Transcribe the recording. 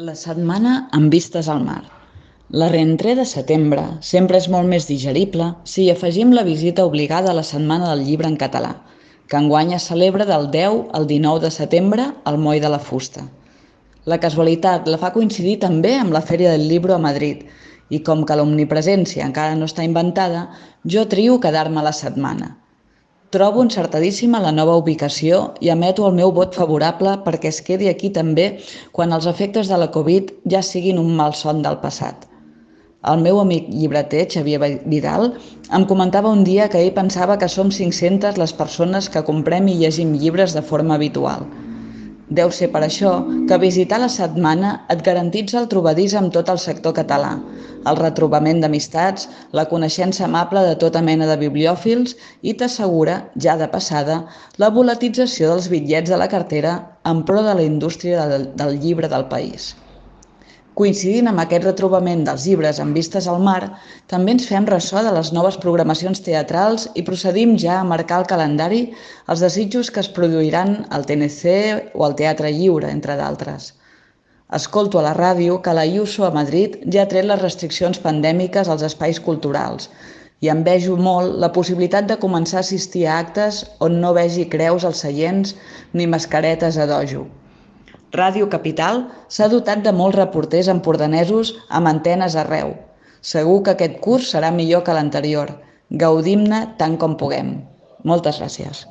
La setmana amb vistes al mar. La rentrée de setembre sempre és molt més digerible si hi afegim la visita obligada a la Setmana del Llibre en català, que enguany es celebra del 10 al 19 de setembre al Moll de la Fusta. La casualitat la fa coincidir també amb la Fèria del Libro a Madrid i com que l'omnipresència encara no està inventada, jo trio quedar-me a la setmana. Trobo encertadíssima la nova ubicació i emeto el meu vot favorable perquè es quedi aquí també quan els efectes de la Covid ja siguin un malson del passat. El meu amic llibreter, Xavier Vidal, em comentava un dia que ell pensava que som 500 les persones que comprem i llegim llibres de forma habitual. Deu ser per això que visitar la setmana et garantitza el trobadís amb tot el sector català, el retrobament d'amistats, la coneixença amable de tota mena de bibliòfils i t'assegura, ja de passada, la volatilització dels bitllets de la cartera en pro de la indústria del llibre del país. Coincidint amb aquest retrobament dels llibres amb vistes al mar, també ens fem ressò de les noves programacions teatrals i procedim ja a marcar al calendari els desitjos que es produiran al TNC o al Teatre Lliure, entre d'altres. Escolto a la ràdio que la IUSO a Madrid ja ha tret les restriccions pandèmiques als espais culturals i envejo molt la possibilitat de començar a assistir a actes on no vegi creus als seients ni mascaretes a dojo. Ràdio Capital s'ha dotat de molts reporters empordanesos amb antenes arreu. Segur que aquest curs serà millor que l'anterior. Gaudim-ne tant com puguem. Moltes gràcies.